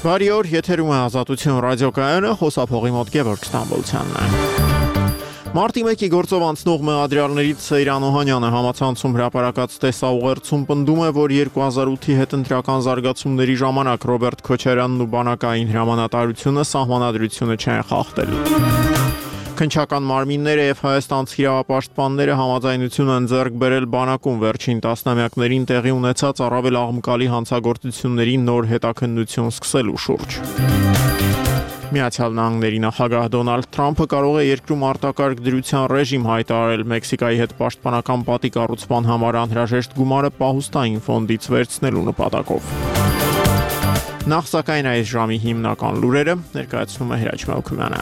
Բարի օր, եթերում է Ազատություն ռադիոկայանը, խոսափողի մոտ Գևորգ Ստամբոլցյանն է։ Մարտի 1-ի գործով անցնող մեղադրյալներից Սեյրան Օհանյանը համացանցում հրապարակած տեսաուղերձում պնդում է, որ 2008-ի հետընտրական զարգացումների ժամանակ Ռոբերտ Քոչարյանն ու բանակային հրամանատարությունը սահմանադրությունը չեն խախտել։ Քննչական մարմինները եւ հայաստանցի իրավապաշտպանները համաձայնություն են ձեռք բերել բանակում վերջին տասնամյակներին տեղի ունեցած առավել աղմկալի հանցագործությունների նոր հետաքննություն սկսելու շուրջ։ Միացյալ Նահանգների նախագահ Դոնալդ Թրամփը կարող է երկրում արտակարգ դրության ռեժիմ հայտարարել Մեքսիկայի հետ պաշտպանական պատի կառուցման համար անհրաժեշտ գումարը պահուստային ֆոնդից վերցնելու նպատակով։ Նախ սակայն այս ժամի հիմնական լուրերը ներկայացնում է Հրաչ Մելքումյանը։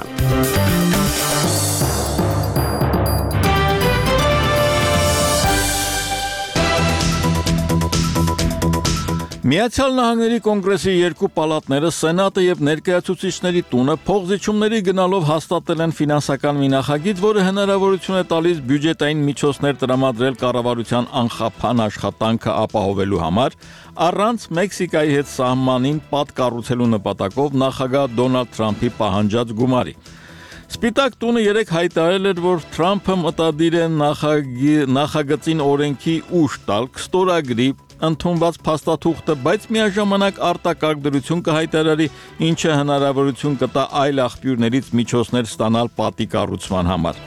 Միացյալ Նահանգների կոնգրեսի երկու պալատները, Սենատը եւ Ներկայացուցիչների տունը փոխզիջումների գնալով հաստատել են ֆինանսական մի նախագիծ, որը հնարավորություն է տալիս բյուջետային միջոցներ տրամադրել կառավարության անխափան աշխատանքը ապահովելու համար, առանց Մեքսիկայի հետ սահմանին պատ կառուցելու նպատակով նախագահ Դոնալդ Թրամփի պահանջած գումարի։ Սպիտակ տունը երեկ հայտարարել էր, որ Թրամփը մտադիր է նախագծին օրենքի ուժ տալ, կստորագրի ընդունված փաստաթուղթը, բայց միաժամանակ արտակարգ դրություն կհայտարարի, ինչը հնարավորություն կտա այլ աղբյուրներից միջոցներ ստանալ պատի կառուցման համար։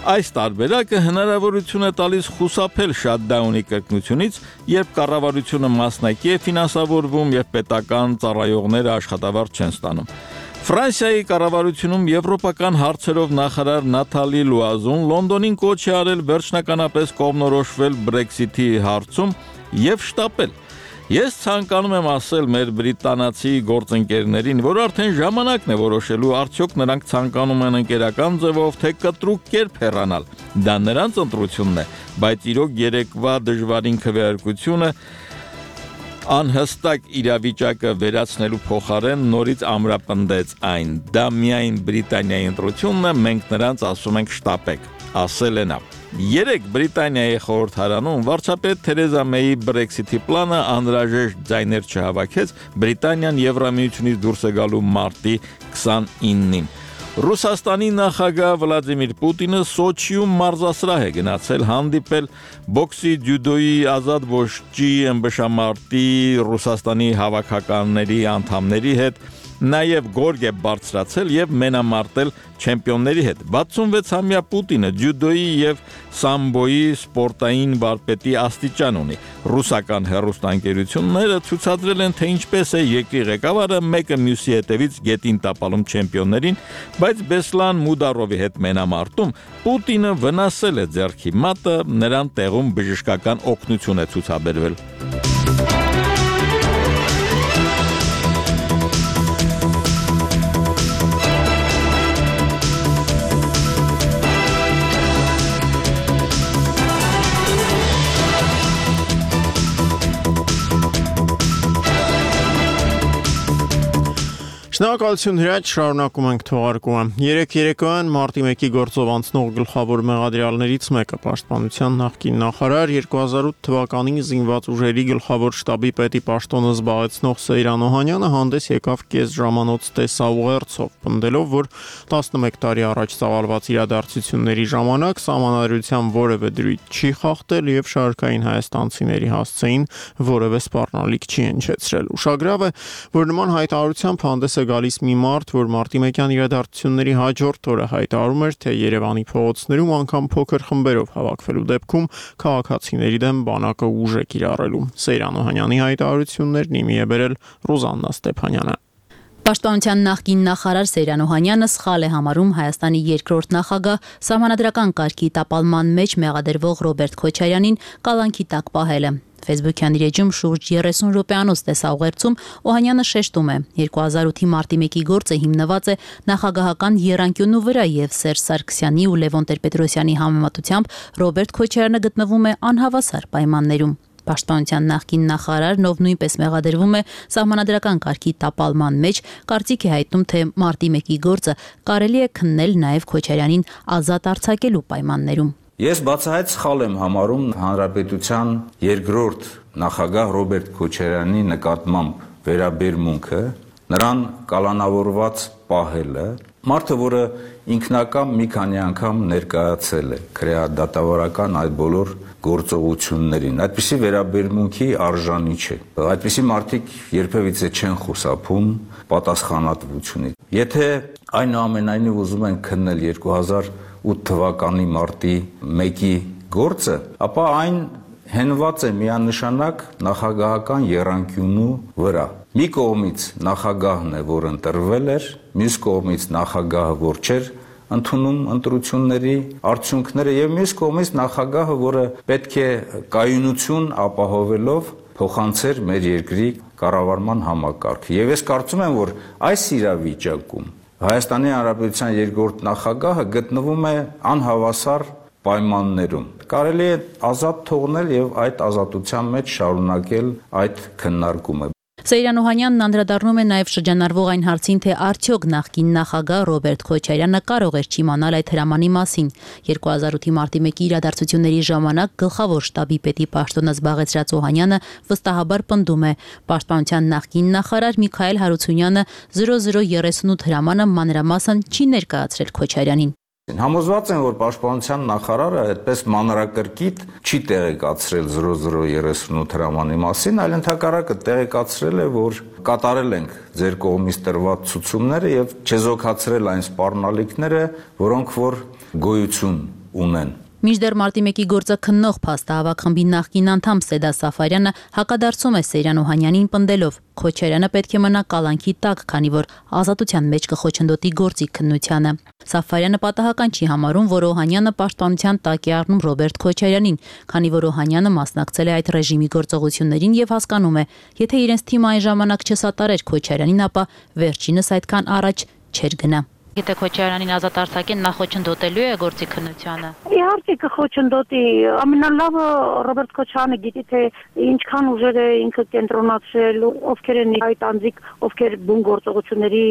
Այս տարբերակը հնարավորություն է տալիս խուսափել շատդաունի կրկնությունից, երբ կառավարությունը մասնակի է ֆինանսավորվում եւ պետական ծառայողները աշխատավարձ չեն ստանում։ Ֆրանսիայի կառավարությունում եվրոպական հարցերով նախարար Նաթալի Լուազուն Լոնդոնին կոչ է արել վերջնականապես կողմնորոշվել Brexit-ի հարցում եւ շտապել։ Ես ցանկանում եմ ասել մեր բրիտանացի գործընկերներին, որ արդեն ժամանակն է որոշելու արդյոք նրանք ցանկանում են ընկերական ձևով թե կտրուկ կերպ հեռանալ։ Դա նրանց ընտրությունն է, բայց իրոք երեկվա դժվարին քվեարկությունը անհստակ իրավիճակը վերացնելու փոխարեն նորից ամրապնդեց այն։ Դա միայն Բրիտանիայի ընտրությունն է, մենք նրանց ասում ենք շտապեք, ասել է նա։ Երեկ Բրիտանիայի խորհրդարանում վարչապետ Թերեզա Մեյի Brexit-ի պլանը անհրաժեշտ ձայներ չհավաքեց, Բրիտանիան Եվրամիությունից դուրս է գալու մարտի 29-ին։ Ռուսաստանի նախագահ Վլադիմիր Պուտինը Սոչիում մարզասրահ է գնացել հանդիպել բոքսի, ջյուդոյի, ազատ ոճի, ըմբշամարտի, Ռուսաստանի հավաքականների անդամների հետ, նաև գորգ է բարձրացել եւ մենամարտել չեմպիոնների հետ։ 66-ամյա Պուտինը ջյուդոյի եւ սամբոյի սպորտային վարպետի աստիճան ունի։ Ռուսական հեռուստաընկերությունները ցուցադրել են, թե ինչպես է երկրի ղեկավարը մեկը մյուսի հետևից գետին տապալում չեմպիոններին, բայց Բեսլան Մուդարովի հետ մենամարտում Պուտինը վնասել է ձեռքի մատը, նրան տեղում բժշկական օգնություն է ցուցաբերվել։ Շնորհակալություն Հրաչ, շարունակում ենք թողարկումը։ Երեկոյան մարտի 1-ի գործով անցնող գլխավոր մեղադրյալներից մեկը պաշտպանության նախկին նախարար 2008 թվականին զինված ուժերի գլխավոր շտաբի պետի պաշտոնը զբաղեցնող Սեյրան Օհանյանը հանդես եկավ կես ժամանոց տեսաուղերձով, պնդելով, որ 11 տարի առաջ ծավալված իրադարձությունների ժամանակ սահմանադրության որևէ դրույթ չի խախտել եւ շարքային հայաստանցիների հասցեին որևէ սպառնալիք չի հնչեցրել։ Ուշագրավ է, որ նման հայտարարությամբ հանդես գալիս մի մարդ, որ մարտի 1-յան իրադարձությունների հաջորդ օրը հայտարարում էր, թե Երևանի փողոցներում անգամ փոքր խմբերով հավաքվելու դեպքում քաղաքացիների դեմ բանակը ուժ է կիրառելու։ Սեյրան Օհանյանի հայտարարություններն իմի է բերել Ռուզաննա Ստեփանյանը։ Պաշտպանության նախկին նախարար Սեյրան Օհանյանը սխալ է համարում Հայաստանի երկրորդ նախագահ սահմանադրական կարգի տապալման մեջ մեղադրվող Ռոբերտ Քոչարյանին կալանքի տակ պահելը։ Facebook-յան իր էջում շուրջ 30 րոպեանոց տեսաուղերձում Օհանյանը շեշտում է. 2008-ի մարտի 1-ի գործը հիմնված է նախագահական եռանկյունու վրա եւ Սերժ Սարգսյանի ու Լևոն Տեր-Պետրոսյանի համեմատությամբ Ռոբերտ Քոչարյանը գտնվում է անհավասար պայմաններում։ Պաշտպանության նախկին նախարարն, ով նույնպես մեղադրվում է սահմանադրական կարգի տապալման մեջ, կարծիք է հայտնում, թե մարտի 1-ի գործը կարելի է քննել նաև Քոչարյանին ազատ արձակելու պայմաններում։ Ես բացահայտ սխալ եմ համարում Հանրապետության երկրորդ նախագահ Ռոբերտ Քոչարյանի նկատմամբ վերաբերմունքը նրան կալանավորված պահելը, մարդը, որը ինքնակամ մի քանի անգամ ներկայացել է քրեադատավորական այդ բոլոր գործողություններին, այդպիսի վերաբերմունքի արժանի չէ։ Այդպիսի մարդիկ երբևիցե չեն խուսափում պատասխանատվությունից։ Եթե այնուամենայնիվ ուզում են քննել 2008 թվականի մարտի 1-ի գործը, ապա այն հենված է միանշանակ նախագահական եռանկյունու վրա։ Մի կողմից նախագահն է, որ ընտրվել էր, մյուս կողմից նախագահը, որ չէր ընդունում ընտրությունների արդյունքները, եւ մյուս կողմից նախագահը, որը պետք է կայունություն ապահովելով փոխանցեր մեր երկրի կառավարման համակարգը։ Եվ ես կարծում եմ, որ այս իրավիճակում Հայաստանի Հանրապետության երկրորդ նախագահը գտնվում է անհավասար պայմաններում։ Կարելի է ազատ թողնել եւ այդ ազատության մեջ շարունակել այդ քննարկումը։ Սեյրան Օհանյանն անդրադառնում է նաև շրջանառվող այն հարցին, թե արդյոք նախկին նախագահ Ռոբերտ Քոչարյանը կարող էր չիմանալ այդ հրամանի մասին։ 2008-ի մարտի 1-ի իրադարձությունների ժամանակ գլխավոր շտաբի պետի պաշտոնը զբաղեցրած Օհանյանը վստահաբար պնդում է, պաշտպանության նախկին նախարար Միքայել Հարությունյանը 0038 հրամանը մանրամասն չի ներկայացրել Քոչարյանին։ Համոզված եմ, որ պաշտպանության նախարարը այդպես մանրակրկիտ չի տեղեկացրել 0038 հրամանի մասին, այլ ընդհակառակը տեղեկացրել է, որ կատարել ենք ձեր կողմից տրված ցուցումները եւ չեզոքացրել այն սպառնալիքները, որոնք որ գոյություն ունեն։ Մինչդեռ մարտի 1-ի գործը քննող փաստահավաք խմբի նախկին անդամ Սեդա Սաֆարյանը հակադարձում է Սեյրան Օհանյանին պնդելով. Քոչարյանը պետք է մնա կալանքի տակ, քանի որ ազատության մեջ կխոչընդոտի գործի քննությանը։ Սաֆարյանը պատահական չի համարում, որ Օհանյանը պաշտպանության տակ է առնում Ռոբերտ Քոչարյանին, քանի որ Օհանյանը մասնակցել է այդ ռեժիմի գործողություններին եւ հասկանում է, եթե իրենց թիմը այն ժամանակ չսատարեր Քոչարյանին, ապա վերջինս այդքան առաջ չէր գնա։ Եթե Քոչարյանին ազատ արձակեն, նա խոչընդոտելու է գործի քննությանը։ Իհարկե կխոչընդոտի, ամենալավը Ռոբերտ Քոչարյանը գիտի, թե ինչքան ուժեր է ինքը կենտրոնացրել, ովքեր են այդ անձիկ, ովքեր բուն գործողությունների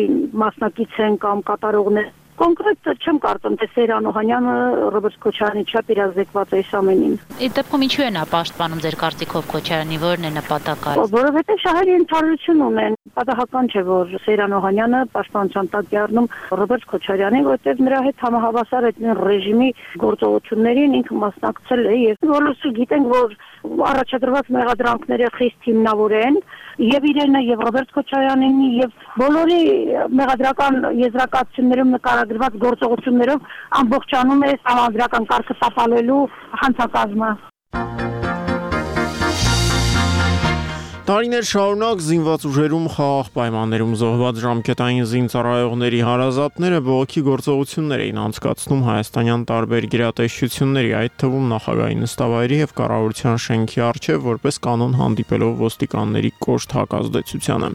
մասնակից են կամ կատարողներ։ Կոնկրետ չեմ կարծում, թե Սեյրան Օհանյանը Ռոբերտ Քոչարյանի չափ իրազեկված է այս ամենին։ Այդ դեպքում ինչու է նա պաշտպանում ձեր կարծիքով Քոչարյանի, որն է նպատակը։ Որովհետև շահերի ընդհանրություն ունեն։ Պատահական չէ, որ Սեյրան Օհանյանը պաշտպանության տակ է առնում Ռոբերտ Քոչարյանին, որտեղ նրա հետ համահավասար այդ ռեժիմի գործողություններին ինքը մասնակցել է եւ բոլորս գիտենք, որ առաջադրված մեղադրանքները խիստ հիմնավոր են եւ իրենը եւ Ռոբերտ Քոչարյանին եւ բոլորի մեղադրական եզրակացություններում նկարագրված գործողություններով ամբողջանում է համանդրական կարգը տապալելու հանցակազմը։ Տարիներ շարունակ զինված ուժերում խաղաղ պայմաններում զոհված ժամկետային զինծառայողների հարազատները բողոքի գործողություններ էին անցկացնում հայաստանյան տարբեր գերատեսչությունների, այդ թվում նախագահի նստավայրի եւ կառավարության շենքի առջեւ, որպես կանոն հանդիպելով ոստիկանների կոշտ հակազդեցությանը։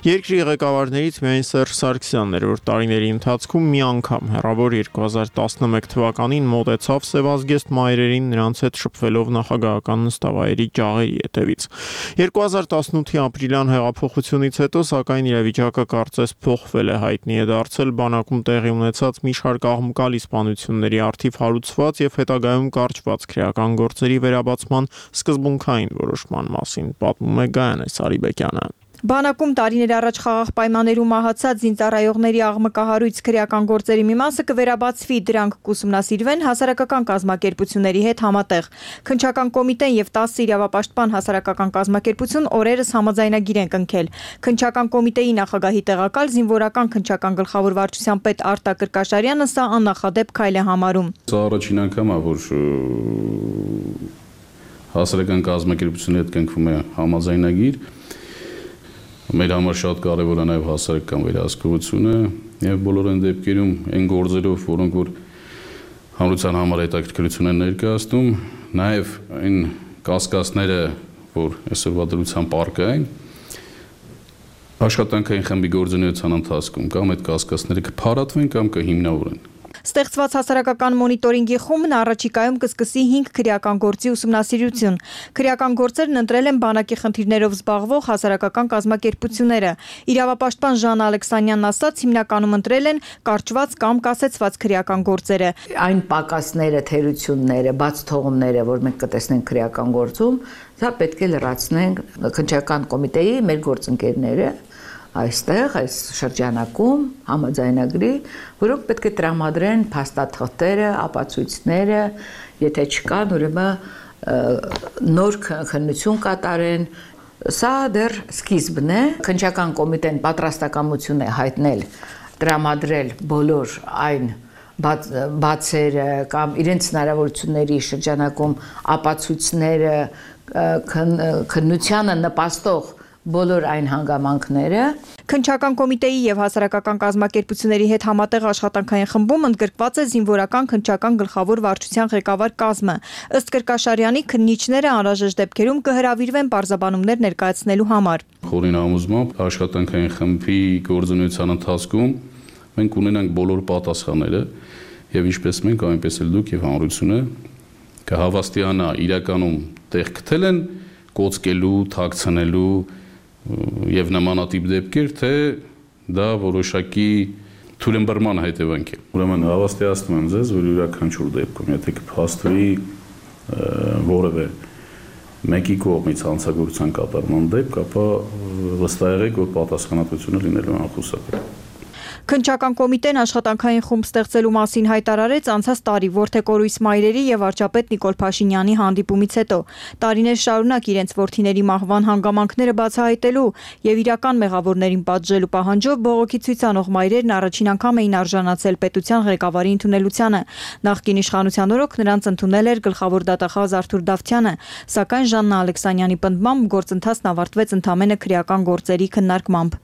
Երկրի ղեկավարներից միայն Սերժ Սարգսյանն էր, որ տարիների ընթացքում մի անգամ հեռավոր 2011 թվականին մոտեցավ Սևազգեստ մայրերին նրանց հետ շփվելով նախագահական նստավայրի ջաղերի հետևից։ 2018-ի ապրիլյան հեղափոխությունից հետո, սակայն իրավիճակը կարծես փոխվել է, հայտնի է դարձել բանակում տեղի ունեցած մի շարք աղմկալի սպանությունների առթիվ հարուցված եւ հետագայում կարճված քրեական գործերի վերաբացման սկզբունքային որոշման մասին, պատմում է Գայանե Սարիբեկյանը։ Բանակում տարիներ առաջ խաղաղ պայմաններում մահացած զինծառայողների աղմկահարույց քրեական գործերի մի մասը կվերաբացվի, դրանք կուսումնասիրվեն հասարակական կազմակերպությունների հետ համատեղ։ Քննչական կոմիտեն եւ 10 իրավապաշտպան հասարակական կազմակերպություն օրերս համաձայնագիր են կնքել։ Քննչական կոմիտեի նախագահի տեղակալ զինվորական քննչական գլխավոր վարչության պետ Արտակ Կրկաշարյանը սա աննախադեպ քայլ է համարում։ Սա առաջին անգամ է, որ հասարակական կազմակերպությունների հետ կնքվում է համաձայնագիր։ Մեր համար շատ կարևոր է նաև հասարակական վերահսկողությունը եւ բոլոր այն դեպքերում այն գործերով, որոնք որ հանրության համար հետաքրքրություն են ներկայացնում, նաև այն կասկածները, որ այսօրվա դրության պարկային աշխատանքային խմբի գործունեության ընթացքում կամ այդ կասկածները կփարատվեն կամ կհիմնավորեն։ Ստեղծված հասարակական մոնիտորինգի խումբն առաջիկայում կսկսի 5 քրեական գործի ուսումնասիրություն։ Քրեական գործերն ընտրել են բանակի խնդիրներով զբաղվող հասարակական կազմակերպությունները։ Իրավապաշտպան Ժան Ալեքսանյանն ասաց, հիմնականում ընտրել են կարճված կամ կասեցված քրեական գործերը։ Այն պակասները, թերությունները, բաց թողումները, որ մենք կտեսնենք քրեական գործում, դա պետք է լրացնենք քննչական կոմիտեի մեր գործընկերները այստեղ այս շրջանակում համաձայնագրի, որոնք պետք է տրամադրեն փաստաթղթերը, ապացույցները, եթե չկան, ուրեմն նոր քննություն կատարեն։ Սա դեռ սկիզբն է։ Քննչական կոմիտեն պատրաստակամություն է հայտնել տրամադրել բոլոր այն բացերը կամ իրենց հնարավորությունների շրջանակում ապացույցները, քննությանը նպաստող բոլոր այն հանգամանքները։ Քննչական կոմիտեի եւ հասարակական կազմակերպությունների հետ համատեղ աշխատանքային խմբում ընդգրկված է զինվորական քննչական գլխավոր վարչության ղեկավար կազմը։ Ըստ Կրկաշարյանի, քննիչները անհրաժեշտ դեպքերում կհրավիրվեն պարզաբանումներ ներկայացնելու համար։ Խորին համոզմամբ աշխատանքային խմբի գործունեության ընթացքում մենք ունենանք բոլոր պատասխանները եւ ինչպես մենք, այնպես էլ դուք եւ հանրությունը կհավաստիանա իրականում տեղ գտել են կոծկելու, թաքցնելու եւ նմանատիպ դեպքեր, թե դա որոշակի թույլըմբռնման հետևանք է։ Ուրեմն հավաստիացնում եմ ձեզ, որ յուրաքանչյուր դեպքում, եթե կփաստվի որևէ մեկի կողմից հանցագործության կատարման դեպք, ապա վստահ եղեք, որ պատասխանատվությունը լինելու անխուսափելի։ Քննչական կոմիտեն աշխատանքային խումբ ստեղծելու մասին հայտարարեց անցած տարի Որդեկորույս մայրերի եւ վարչապետ Նիկոլ Փաշինյանի հանդիպումից հետո։ Տարիներ շարունակ իրենց որդիների մահվան հանգամանքները բացահայտելու եւ իրական մեղավորներին պատժելու պահանջով բողոքի ցույց անող մայրերն առաջին անգամ էին արժանացել պետության ղեկավարի ընդունելությանը։ Նախկին իշխանության օրոք նրանց ընդունել էր գլխավոր դատախազ Արթուր Դավթյանը, սակայն Ժաննա Ալեքսանյանի պնդմամբ գործընթացն ավարտվեց ընդամենը քրեական գործերի քննարկմամբ։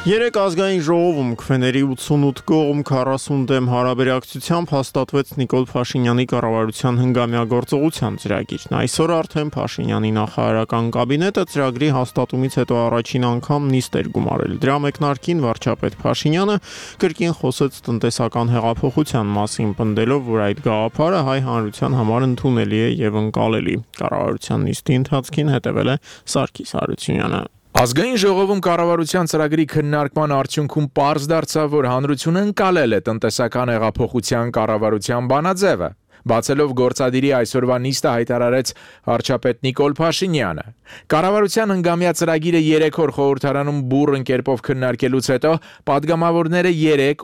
Երեք ազգային ժողովում քվեների 88 կողմ 40 դեմ հարաբերակցությամբ հաստատվեց Նիկոլ Փաշինյանի կառավարության հնգամյա գործողության ծրագիրն։ Այսօր արդեն Փաշինյանի նախարարական կաբինետը ծրագրի հաստատումից հետո առաջին անգամ նիստ էր գումարել։ Դրա մեկնարկին վարչապետ Փաշինյանը կրկին խոսեց տնտեսական հեղափոխության մասին, պնդելով, որ այդ գաղափարը հայ հանրության համար ընդունելի է եւ ընկալելի։ Կառավարության նիստի ընթացքին հետևել է Սարգիս Հարությունյանը։ Ազգային ժողովում կառավարության ծրագրի քննարկման արդյունքում պարզ դարձավ, որ հանրությունը ընկալել է տնտեսական հեղափոխության կառավարության բանաձևը։ Բացելով գործադիրի այսօրվա նիստը հայտարարեց վարչապետ Նիկոլ Փաշինյանը։ Կառավարության հնգամյա ծրագիրը 3 օր խորհրդարանում բուռն կերպով քննարկելուց հետո падգամավորները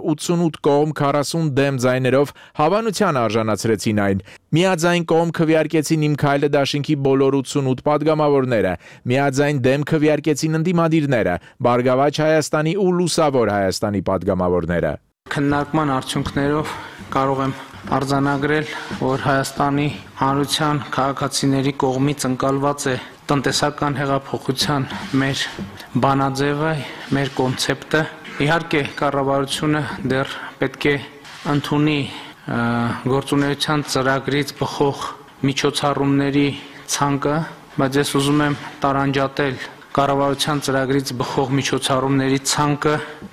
88 կողմ 40 դեմ ձայներով հավանության արժանացրեցին այն։ Միաձայն կողմ քվեարկեցին Իմ քայլը դաշինքի բոլոր 88 падգամավորները, միաձայն դեմ քվեարկեցին ընդդիմադիրները, Բարգավաճ Հայաստանի ու Լուսավոր Հայաստանի падգամավորները։ Քննարկման արդյունքներով կարող եմ արձանագրել, որ Հայաստանի հանրության քաղաքացիների կողմից ընկալված է տնտեսական հեղափոխության մեր բանաձևը, մեր կոնցեպտը։ Իհարկե, կառավարությունը դեռ պետք է ընդունի գործունեության ծրագրից բխող միջոցառումների ցանկը, բայց ես ուզում եմ տարանջատել կառավարության ծրագրից բխող միջոցառումների ցանկը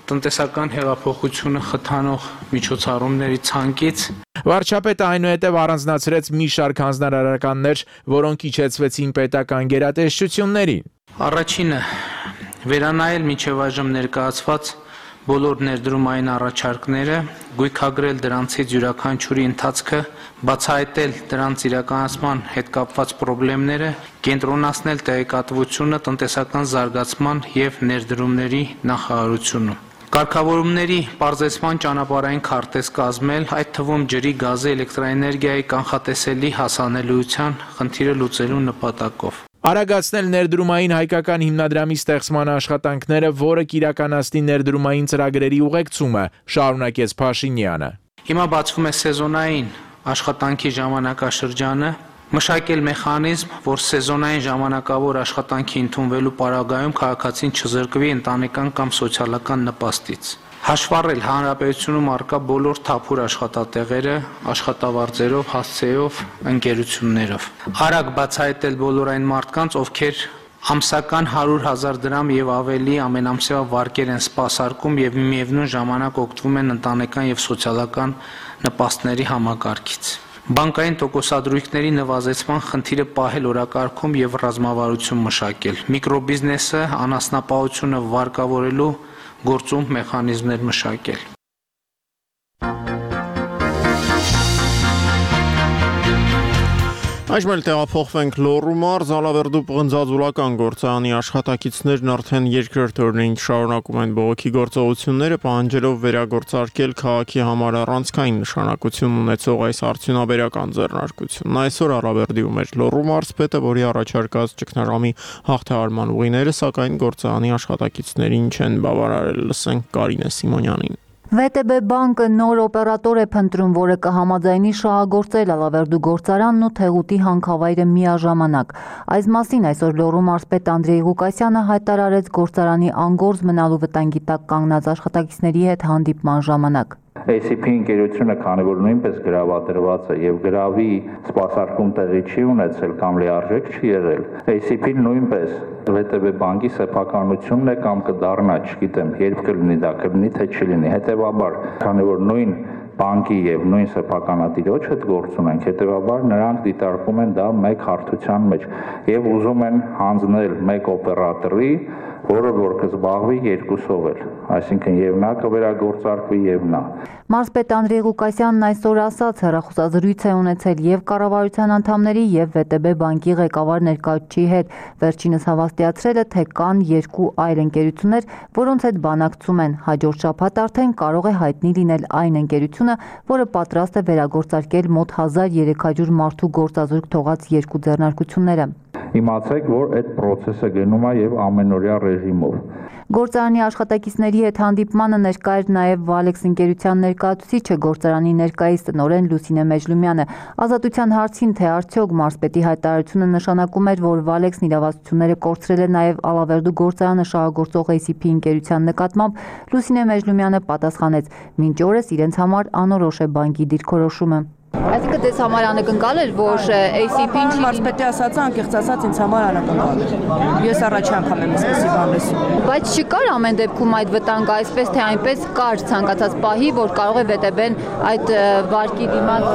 տնտեսական հեղափոխությունը խթանող միջոցառումների ցանկից։ Վարչապետը այնուհետև առանձնացրեց մի շարք հանձնարարականներ, որոնք իջեցվեցին պետական գերատեսչություններին։ Առաջինը վերանայել մինչև այժմ ներկայացված բոլոր ներդրումային առաջարկները, գույքագրել դրանցից յուրաքանչյուրի ընթացքը, բացահայտել դրանց իրականացման հետ կապված խնդիրները, կենտրոնացնել տեղեկատվությունը տնտեսական զարգացման և ներդրումների նախարարությունում։ Կարգավորումների պարզեցման ճանապարհային քարտեզ կազմել, այդ թվում ջրի, գազի, էլեկտրաէներգիայի կանխատեսելի հասանելիության խնդիրը լուծելու նպատակով։ Արագացնել ներդրումային հայկական հիմնադրամի ստեղծման աշխատանքները, որը կիրականացնի ներդրումային ծրագրերի ուղեկցումը, շարունակեց Փաշինյանը։ Հիմա բացվում է սեզոնային աշխատանքի ժամանակաշրջանը, մշակել մեխանիզմ, որ սեզոնային ժամանակավոր աշխատանքի ընդունվելու պարագայում քաղաքացին չզրկվի ընտանեկան կամ սոցիալական նպաստից։ Հաշվառել հանրապետությունում առկա բոլոր թափուր աշխատատեղերը, աշխատավարձերով, հասցեով, ընկերություններով։ Արագ բացահայտել բոլոր այն մարդկանց, ովքեր ամսական 100,000 դրամ եւ ավելի ամենամսյա վարկեր են սպասարկում եւ միևնույն ժամանակ օգտվում են ընտանեկան եւ սոցիալական նպաստների համակարգից։ Բանկային տոկոսադրույքների նվազեցման խնդիրը պահել օրակարգում եւ ռազմավարություն մշակել։ Միկրոբիզնեսը, անասնապահությունը վարկավորելու գործում մեխանիզմներ մշակել։ Այժմ էլ տեղափոխվենք Լոռու մարզ, Ալավերդու պղնձաձուլական գործարանի աշխատակիցներն արդեն երկրորդ օրերին շարունակում են բողոքի գործողությունները, պահանջելով վերագործարկել քաղաքի համար առանցքային նշանակություն ունեցող այս արդյունաբերական ձեռնարկությունն։ Այսօր Ալավերդիում էր Լոռու մարզպետը, որի առաջարկած ճգնաժամի հաղթահարման ուղիները, սակայն գործարանի աշխատակիցներին չեն բավարարել։ Լսենք Կարինե Սիմոնյանին։ ՎՏԲ բանկը նոր օպերատոր է փնտրում, որը կհամաձայնի շահագործել Ալավերդու գործարանն ու Թեղուտի հանքավայրը միաժամանակ։ Այս մասին այսօր Լոռու մարզպետ Անդրեյ Ղուկասյանը հայտարարեց գործարանի անգործ մնալու վտանգի տակ կանգնած աշխատակիցների հետ հանդիպման ժամանակ։ ACP ընկերությունը, քանի որ նույնպես գրավադրված է եւ գրավի սպասարկում տեղի չի ունեցել կամ լիարժեք չի եղել, ACP-ն նույնպես ՎՏԲ բանկի սեփականությունն է կամ կդառնա, չգիտեմ, երբ կլինի դա, կլինի թե չլինի։ Հետևաբար, քանի որ նույն բանկի եւ նույն սեփականատիրոջ հետ գործ ունենք, հետևաբար նրանք դիտարկում են դա մեկ հարթության մեջ եւ ուզում են հանձնել մեկ օպերատորի, որը որ կզբաղվի երկուսով էլ, այսինքն եւ նա կվերագործարկվի եւ նա։ Մարզպետ Անդրեյ Ղուկասյանն այսօր ասաց, հեռախոսազրույց է ունեցել եւ կառավարության անդամների եւ ՎՏԲ բանկի ղեկավար ներկայացուցիչի հետ, վերջինս հավաստիացրել է, թե կան երկու այլ ընկերություններ, որոնց հետ բանակցում են, հաջորդ շաբաթ արդեն կարող է հայտնի լինել այն ընկերությունը, որը պատրաստ է վերագործարկել մոտ 1300 մարդու գործազուրկ թողած երկու ձեռնարկությունները։ Իմացեք, որ այդ process-ը գնում է եւ ամենօրյա ռեժիմով։ Գործարանի աշխատակիցների հետ հանդիպմանը ներկա էր նաև Վալեքս ընկերության ներկայացուցիչը, գործարանի ներկայիս տնօրեն Լուսինե Մեջլումյանը։ Ազատության հարցին, թե արդյոք մարզպետի հայտարարությունը նշանակում էր, որ Վալեքսն իրավասությունները կորցրել է նաև Ալավերդու գործարանը շահագործող ACP ընկերության նկատմամբ, Լուսինե Մեջլումյանը պատասխանեց. «Մինչ օրս իրենց համար անորոշ է բանկի դիրքորոշումը»։ Այսինքն դες համար անակնկալ էր, որ ACP-ն չի մարզպետի ասածը անկեղծ ասած ինձ համար անակնկալ էր։ Ես առաջի անգամ եմ այսպեսի բան լսում։ Բայց չկար ամեն դեպքում այդ վտանգը, այսպես թե այնպես կար ցանկացած պահի, որ կարող է ՎՏԲ-ն այդ վարկի դիմաց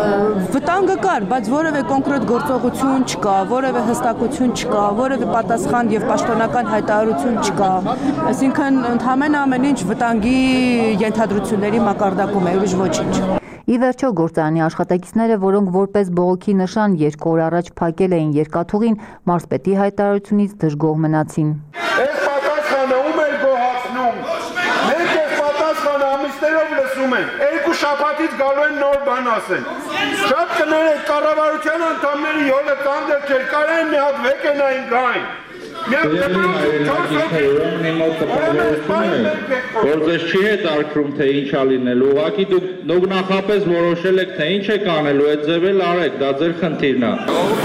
վտանգը կար, բայց որևէ կոնկրետ գործողություն չկա, որևէ հստակություն չկա, որևէ պատասխան եւ պաշտոնական հայտարարություն չկա։ Այսինքն ընդհանրապես ամեն ինչ վտանգի ենթադրությունների մակարդակում է, ուրիշ ոչինչ։ Ի վերջո գործարանի աշխատակիցները, որոնք որպես բողոքի նշան 2 օր առաջ փակել էին երկաթուղին, մարզպետի հայտարարությունից դժգոհ մնացին։ Այս պատասխանը ում էր գոհացնում։ Մենք այս պատասխանը ամիսներով լսում ենք։ 2 շաբաթից գալու են նոր բան ասեն։ Շատ կներեք կառավարության անդամների յոլը տանդեր չէր, կարեն մի հատ վեկենային գային։ Որ ձեզ չի հետաքրքրում, թե ինչա լինելու, ուղղակի դուք նախապես որոշել եք, թե ինչ եք անելու, այդ ձև էլ արեք, դա ձեր խնդիրն է։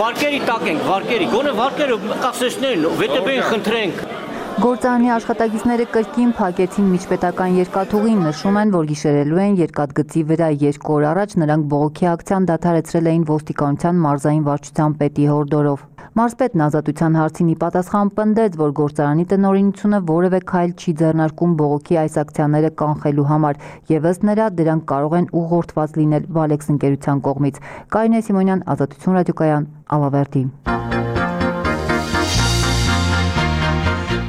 Վարկերի տակ ենք, վարկերի, գոնե վարկերը կասեցնեն, ՎՏԲ-ին խնդրենք։ Գործարանի աշխատակիցները կրկին փակեցին միջպետական երկաթուղին, նշում են, որ գիշերելու են երկաթգծի վրա 2 օր առաջ նրանք բողոքի ակցիան դադարեցրել էին ոստիկանության մարզային վարչության պետի հորդորով։ Մարզպետն ազատության հարցին ի պատասխան պնդեց, որ գործարանի տնօրինությունը որևէ քայլ չի ձեռնարկում բողոքի այս ակցիաները կանխելու համար, եւ ըստ նրա դրանք կարող են ուղղորդված լինել Վալեքս ընկերության կողմից։ Կարինե Սիմոնյան, Ազատություն ռադիոկայան, Ալավերդի։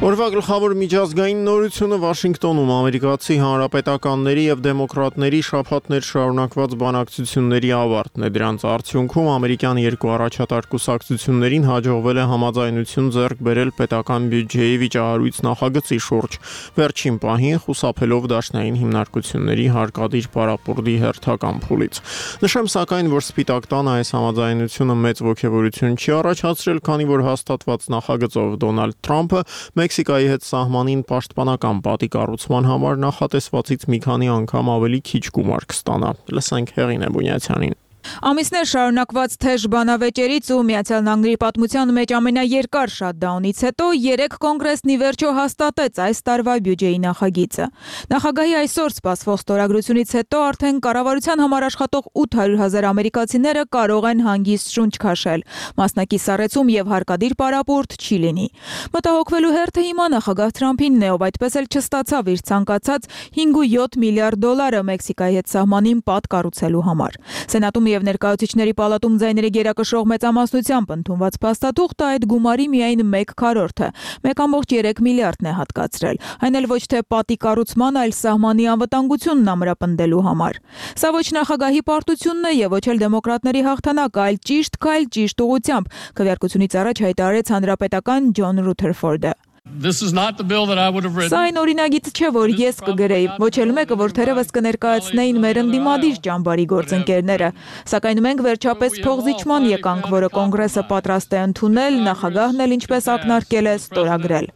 Օրվա գլխավոր միջազգային նորությունը Վաշինգտոնում ամերիկացի հանրապետականների եւ դեմոկրատների շաբաթներ շարունակված բանակցությունների ավարտն է։ Դրանց արդյունքում ամերիկյան երկու առաջատար կուսակցություններին հաջողվել է համաձայնություն ձեռք բերել պետական բյուջեի վիճահարույց նախագծի շուրջ, վերջին պահին խուսափելով դաշնային հիմնարկությունների հարկադիր պարապուրդի հերթական փուլից։ Նշեմ սակայն, որ Սպիտակ տանը այս համաձայնությունը մեծ ոգևորություն չի առաջացրել, քանի որ հաստատված նախագծով Դոնալդ Թրամփը Մեքսիկայի հետ սահմանին պաշտպանական պատի կառուցման համար նախատեսվածից մի քանի անգամ ավելի քիչ գումար կստանա։ Լսենք Հեղինե Բունյացյանին։ Ամիսներ շարունակված թեժ բանավեճերից ու Միացյալ Նահանգների պատմության մեջ ամենաերկար շատդաունից հետո 3 կոնգրեսն ի վերջո հաստատեց այս տարվա բյուջեի նախագիծը։ Նախագահի այսօր սպասվող ստորագրությունից հետո արդեն կառավարության համար աշխատող 800,000 ամերիկացիները կարող են հանգիստ շունչ քաշել։ Մասնակի սառեցում եւ հարկադիր պարապուրդ չի լինի։ Մտահոգվելու հերթը հիմա նախագահ Թրամփինն է, ով այդպես էլ չստացավ իր ցանկացած $5.7 միլիարդ Մեքսիկայի հետ սահմանին պատ կառուցելու համար։ Սենատում եւ ներկայացուցիչների պալատում ձայների գերակշռող մեծամասնությամբ ընդունված փաստաթուղթը այդ գումարի միայն 1/4-ը, 1.3 միլիարդն է հատկացրել, այն էլ ոչ թե պատի կառուցման, այլ սահմանի անվտանգությունն ամրապնդելու համար։ Սա ոչ նախագահի պարտությունն է եւ ոչ էլ դեմոկրատների հաղթանակը, այլ ճիշտ քայլ ճիշտ ուղղությամբ, քվեարկությունից առաջ հայտարարեց հանրապետական Ջոն Ռութերֆորդը։ Սա այն օրինագիծ չէ, որ ես կգրեի, ոչ էլ մեկը, որ թերևս կներկայացնեին մեր ընդդիմադիր ճամբարի գործընկերները, սակայն մենք վերջապես փողզիջման եկանք, որը կոնգրեսը պատրաստ է ընդունել, նախագահն էլ ինչպես ակնարկել է ստորագրել։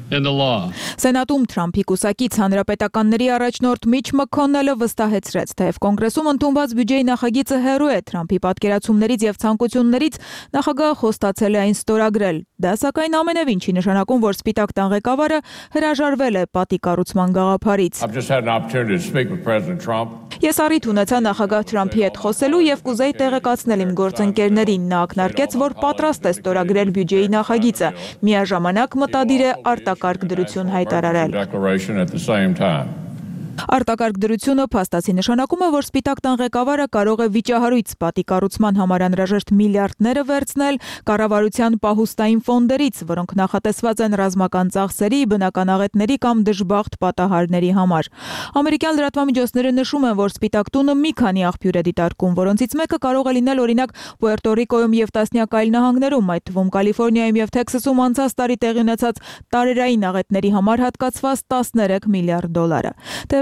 Սենատում Թրամփի կուսակից հանրապետականների առաջնորդ Միչ Մաքոնելը վստահեցրեց, թեև կոնգրեսում ընդունված բյուջեի նախագիծը հեռու է Թրամփի պատկերացումներից եւ ցանկություններից, նախագահը խոստացել է այն ստորագրել։ Դա սակայն ամենևին չի նշանակում, որ Սպիտակ տան ղեկավարը հրաժարվել է պատի կառուցման գաղափարից։ Ես առիթ ունեցա նախագահ Թրամփի հետ խոսելու եւ կուզեի տեղեկացնել իմ գործընկերներին, նա ակնարկեց, որ պատրաստ է ստորագրել բյուջեի նախագիծը, միաժամանակ մտադիր է արտակարգ դրություն հայտարարել։ Արտակարգ դրությունը փաստացի նշանակում է, որ Սպիտակ տան ղեկավարը կարող է վիճահարույց պատի կառուցման համար անհրաժեշտ միլիարդները վերցնել կառավարության պահուստային ֆոնդերից, որոնք նախատեսված են ռազմական ծախսերի, բնականաղետների կամ դժբախտ պատահարների համար։ Ամերիկյան լրատվամիջոցները նշում են, որ Սպիտակ տունը մի քանի աղբյուր է դիտարկում, որոնցից մեկը կարող է լինել օրինակ Պուերտո Ռիկոյում եւ տասնյակ այլ նահանգներում, այդ թվում Կալիֆոռնիայում եւ Թեքսասում անցած տարի տեղի ունեցած տարերային աղետների համար հատկացված 13 միլիարդ դոլարը։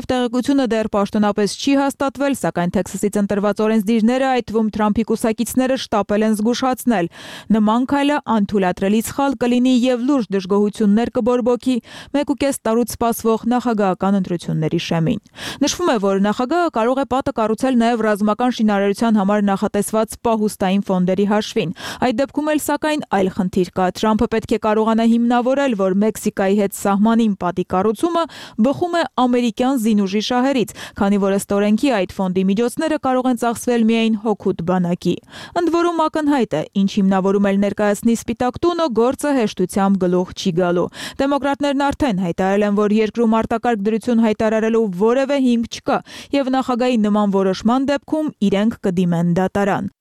Տեղեկությունը դեռ պաշտոնապես չի հաստատվել, սակայն Թեքսասից ընտրված օրենսդիրները, այդ թվում Թրամփի կուսակիցները շտապել են զգուշացնել։ Նման քայլը անթույլատրելի սխալ կլինի եւ լուրջ դժգոհություններ կբորբոքի 1.5 տարուց սպասվող նախագահական ընտրությունների շեմին։ Նշվում է, որ նախագահը կարող է պատը կառուցել նաեւ ռազմական շինարարության համար նախատեսված պահուստային ֆոնդերի հաշվին։ Այդ դեպքում էլ սակայն այլ խնդիր կա։ Թրամփը պետք է կարողանա հիմնավորել, որ Մեքսիկայի հետ սահմանին պատի կառուցումը բխում է ամերիկյան զինուժի շահերից, քանի որ ըստ օրենքի այդ ֆոնդի միջոցները կարող են ծախսվել միայն հօգուտ բանակի։ Ընդ որում ակնհայտ է, ինչ հիմնավորում էլ ներկայացնի Սպիտակ տունը, գործը հեշտությամբ գլուխ չի գալու։ Դեմոկրատներն արդեն հայտարարել են, որ երկրում արտակարգ դրություն հայտարարելու որևէ հիմք չկա, եւ նախագահի նման որոշման դեպքում իրենք կդիմեն դատարան։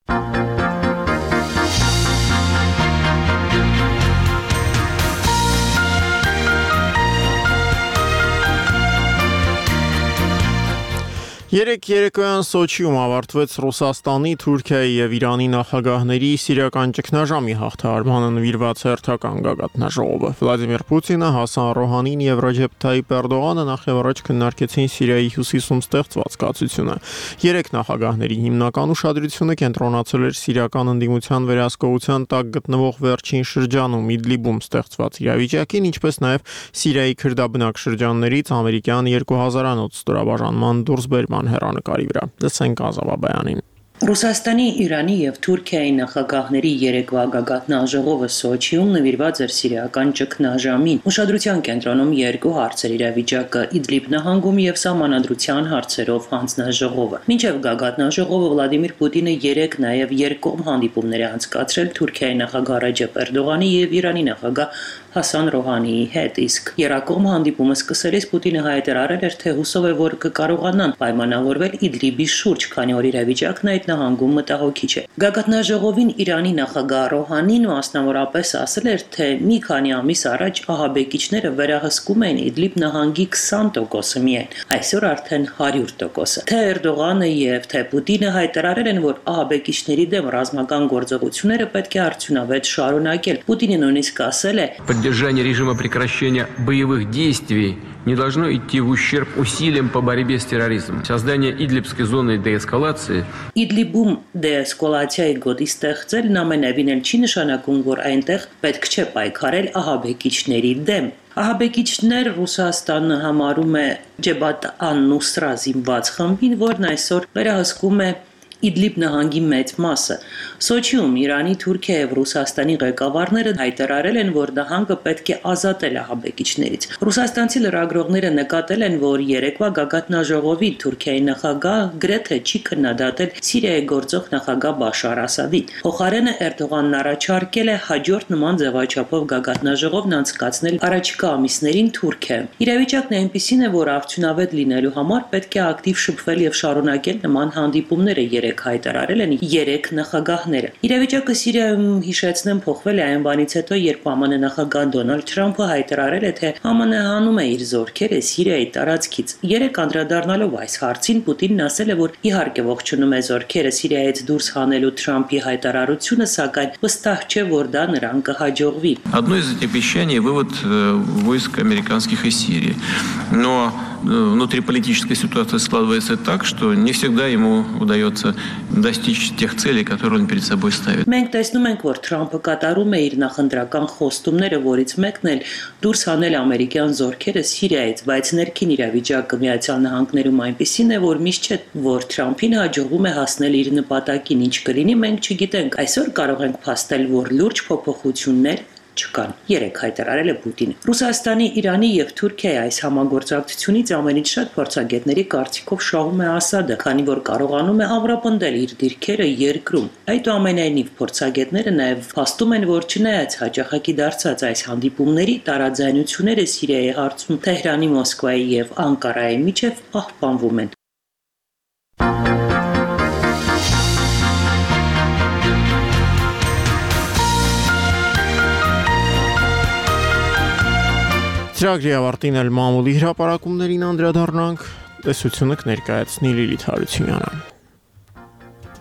Երեկ երեկոյան Սոչիում ավարտվեց Ռուսաստանի, Թուրքիայի եւ Իրանի նախագահների սիրիական ճգնաժամի հաղթահարմանը նվիրված հերթական գագաթնաժողովը։ Վլադիմիր Պուտինը, Հասան Ռոհանին եւ Ռեջեփ Թայիփ Էրդողանը նախևառաջ քննարկեցին Սիրիայի հյուսիսում ստեղծված կացությունը։ Երեք նախագահների հիմնական ուշադրությունը կենտրոնացել էր սիրիական ընդդիմության վերահսկողության տակ գտնվող վերջին շրջանում Իդլիբում ստեղծված իրավիճակին, ինչպես նաեւ Սիրիայի քրդաբնակ շրջաններից ամերիկյան 2000-անոց ստորաբաժանման դուրսբերման հեռանկարի վրա։ Լսենք Ազավաբայանին։ Ռուսաստանի, Իրանի եւ Թուրքիայի նախագահների երեկվա գագաթնաժողովը Սոչիում նվիրված էր սիրիական ճգնաժամին։ Ուշադրության կենտրոնում երկու հարցեր՝ իրավիճակը Իդլիբ նահանգում եւ սահմանադրության հարցերով հանձնաժողովը։ Մինչեւ գագաթնաժողովը Վլադիմիր Պուտինը երեկ նաեւ երկկողմ հանդիպումներ է անցկացրել Թուրքիայի նախագահ Ռեջեփ Էրդողանի եւ Իրանի նախագահ Հասան Ռոհանիի հետ, իսկ երկկողմ հանդիպումը սկսելիս Պուտինը հայտարարել էր, թե հուսով է, որ կկարողանան պայմանավորվել Իդլիբի շուրջ, քանի որ իրավիճակն այդ նահանգում մտահոգիչ է։ Գագաթնաժողովին Իրանի նախագահ Ռոհանին մասնավորապես ասել էր, թե մի քանի ամիս առաջ ահաբեկիչները վերահսկում էին Իդլիբ նահանգի 20%-ը միայն, այսօր արդեն 100%-ը։ Թե Էրդողանը եւ թե Պուտինը հայտարարել են, որ ահաբեկիչների դեմ ռազմական գործողությունները պետք է արդյունավետ շարունակել։ Պուտինը նույնիսկ ասել է. Поддержание режима прекращения боевых действий не должно идти в ущерб усилиям по борьбе с терроризмом. Создание Идлибской зоны деэскалации. Իդլիբում դեэսկալացիայի գոտի ստեղծելն ամենևին էլ չի նշանակում, որ այնտեղ պետք չէ պայքարել ահաբեկիչների դեմ։ Ահաբեկիչներ Ռուսաստանը համարում է Ջեբհաթ ան-Նուսրա զինված խմբին, որն այսօր վերահսկում է Իդլիբ նահանգի մեծ մասը։ Սոչիում Իրանի, Թուրքիա եւ Ռուսաստանի ղեկավարները հայտարարել են, որ նահանգը պետք է ազատել ահաբեկիչներից։ Ռուսաստանցի լրագրողները նկատել են, որ երեկվա գագաթնաժողովի Թուրքիայի նախագահ գրեթե չի քննադատել Սիրիայի գործող նախագահ Բաշար Ասադին։ Փոխարենը Էրդողանն առաջարկել է հաջորդ նման ձևաչափով գագաթնաժողովն անցկացնել առաջիկա ամիսներին Թուրքիայում։ Իրավիճակն այնպիսին է, որ արդյունավետ լինելու համար պետք է ակտիվ շփվել եւ շարունակել նման հանդիպումները, երեք հայտարարել են 3 նախագահները։ Իրավիճակը Սիրիայում, հիշեցնեմ, փոխվել է այն բանից հետո, երբ ԱՄՆ նախագահ Դոնալդ Թրամփը հայտարարել է, թե ԱՄՆ հանում է իր զորքերը Սիրիայի տարածքից։ Երեք անդրադառնալով այս հարցին, Պուտինն ասել է, որ իհարկե ողջունում է զորքերը Սիրիայից դուրս հանելու Թրամփի հայտարարությունը, սակայն վստահ չէ, որ դա նրան կհաջողվի։ Одно из этих обещаний вывод войск американских из Сирии. Но внутриполитическая ситуация складывается так, что не всегда ему удается достичь тех целей, которые он перед собой ставит. Մենք տեսնում ենք, որ Թրամփը կատարում է իր նախընտրական խոստումները, որից մեկն էլ դուրս հանել ամերիկյան զորքերը Սիրիայից, բայց ներքին իրավիճակը Միացյալ Նահանգներում այնպիսին է, որ միշտ չէ, որ Թրամփին հաջողվում է հասնել իր նպատակին, ինչ կլինի, մենք չգիտենք։ Այսօր կարող ենք փաստել, որ լուրջ փոփոխություններ չկան։ Երեք հայտարարել է Պուտինը։ Ռուսաստանի, Իրանի եւ Թուրքիայի այս համագործակցությունից ամենից շատ փորձագետների կարծիքով շահում է Ասադը, քանի որ կարողանում է ամրապնդել իր դիրքերը երկրում։ Այդուամենայնիվ փորձագետները նաեւ փաստում են, որ չնայած հաջողակի դարձած այս հանդիպումների տարաձայնությունները Սիրիայի հարցում Թեհրանի, Մոսկվայի եւ Անկարայի միջև պահպանվում են։ Ծրագրի ավարտին էլ մամուլի հրապարակումներին անդրադառնանք, տեսությունը կներկայացնի Լիլիթ Հարությունյանը։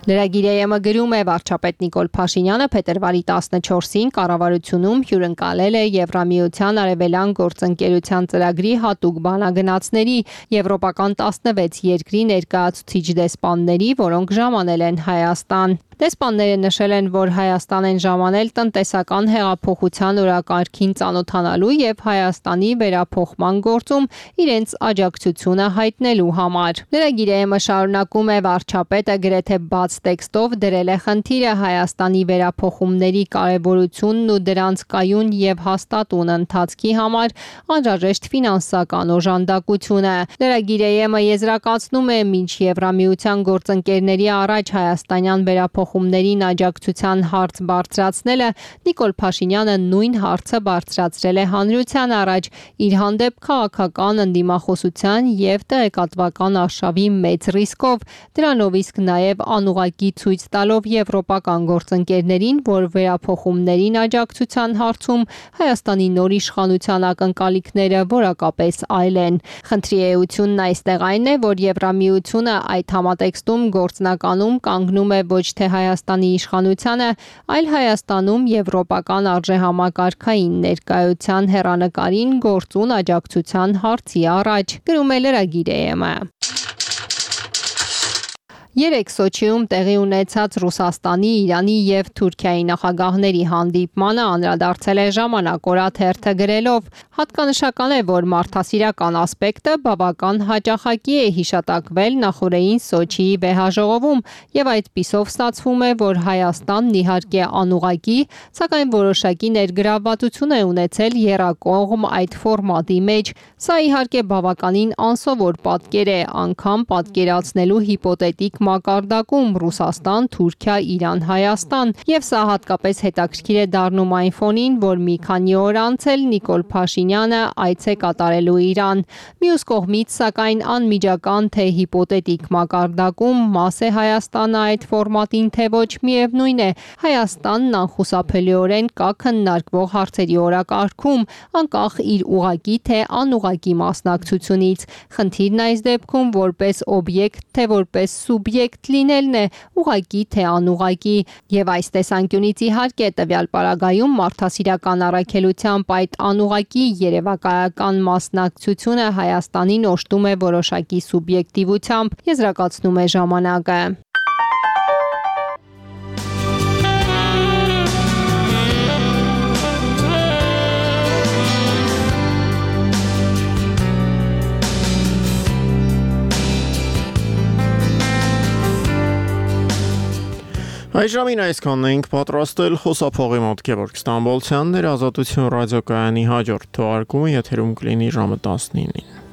Լրագիրը գրում է վարչապետ Նիկոլ Փաշինյանը փետրվարի 14-ին կառավարությունում հյուրընկալել է Եվրամիության արևելյան գործընկերության ծրագրի հատուկ բանագնացների եվրոպական 16 երկրի ներկայացուցիչ դեսպանների, որոնք ժամանել են Հայաստան։ Դեսպանները նշել են, որ Հայաստան են ժամանել տնտեսական հեղափոխության օրակարգին ծանոթանալու եւ Հայաստանի վերափոխման գործում իրենց աջակցությունը հայտնելու համար։ Լրագիրը շարունակում է վարչապետը գրեթե բաց տեքստով դրել է խնդիրը Հայաստանի վերափոխումների կարևորությունն ու դրանց կայուն եւ հաստատուն ընթացքի համար անհրաժեշտ ֆինանսական օժանդակությունը։ Լրագիրը եզրակացնում է, մինչ Եվրամիության գործընկերների առաջ հայաստանյան վերափոխումներին աջակցության հարց բարձրացնելը, Նիկոլ Փաշինյանը նույն հարցը բարձրացրել է հանրության առաջ իր հանդեպ քաղաքական ընդդիմախոսության եւ տեղեկատվական արշավի մեծ ռիսկով, դրանով իսկ նաեւ անուղղակի ցույց տալով եվրոպական գործընկերներին, որ վերափոխումներին աջակցության հարցում Հայաստանի նոր իշխանության ակնկալիքները որակապես այլ են։ Խնդրի էությունն այստեղ այն է, որ Եվրամիությունը այդ համատեքստում գործնականում կանգնում է ոչ թե Հայաստանի իշխանությանը, այլ Հայաստանում եվրոպական արժեհամակարգային ներկայության հեռանկարին գործուն աջակցության հարցի առաջ, գրում է լրագիրը։ Երեք Սոչիում տեղի ունեցած Ռուսաստանի, Իրանի եւ Թուրքիայի նախագահների հանդիպմանը անդրադարձել է Ժամանակ օրաթերթը գրելով. հատկանշական է, որ մարդասիրական ասպեկտը բավական հաճախակի է հիշատակվել նախորդային Սոչիի վեհաժողովում եւ այդպիսով ստացվում է, որ Հայաստանն իհարկե անուղղակի, սակայն որոշակի ներգրավվածություն է ունեցել եռակողմ այդ ֆորմատի մեջ։ Սա իհարկե բավականին անսովոր պատկեր է, անգամ պատկերացնելու հիպոթետիկ մակարդակում Ռուսաստան, Թուրքիա, Իրան, Հայաստան, եւ սա հատկապես հետաքրքիր է դառնում այն ֆոնին, որ մի քանի օր անց էլ Նիկոլ Փաշինյանը այց է կատարելու Իրան։ Մյուս կողմից, սակայն անմիջական թե հիպոթետիկ մակարդակում մաս է Հայաստանը այդ ֆորմատին, թե ոչ, միևնույն է, Հայաստանն անխուսափելիորեն կա քննարկվող հարցերի օրակարգում, անկախ իր ուղղակի թե անուղղակի մասնակցությունից։ Խնդիրն այս դեպքում որպես օբյեկտ թե որպես սուբյեկտ լինելն է, ուղղակի թե անուղղակի, եւ այս տեսանկյունից իհարկե տվյալ պարագայում մարդասիրական առաքելությամբ այդ անուղղակի երևակայական մասնակցությունը Հայաստանին օժտում է որոշակի սուբյեկտիվությամբ, եզրակացնում է ժամանակը։ Այժմին այսքանն ենք պատրաստել խոսափողի մոտ Գևորգ Ստամբոլցյանն էր Ազատություն ռադիոկայանի հաջորդ թողարկումը եթերում կլինի ժամը 19-ին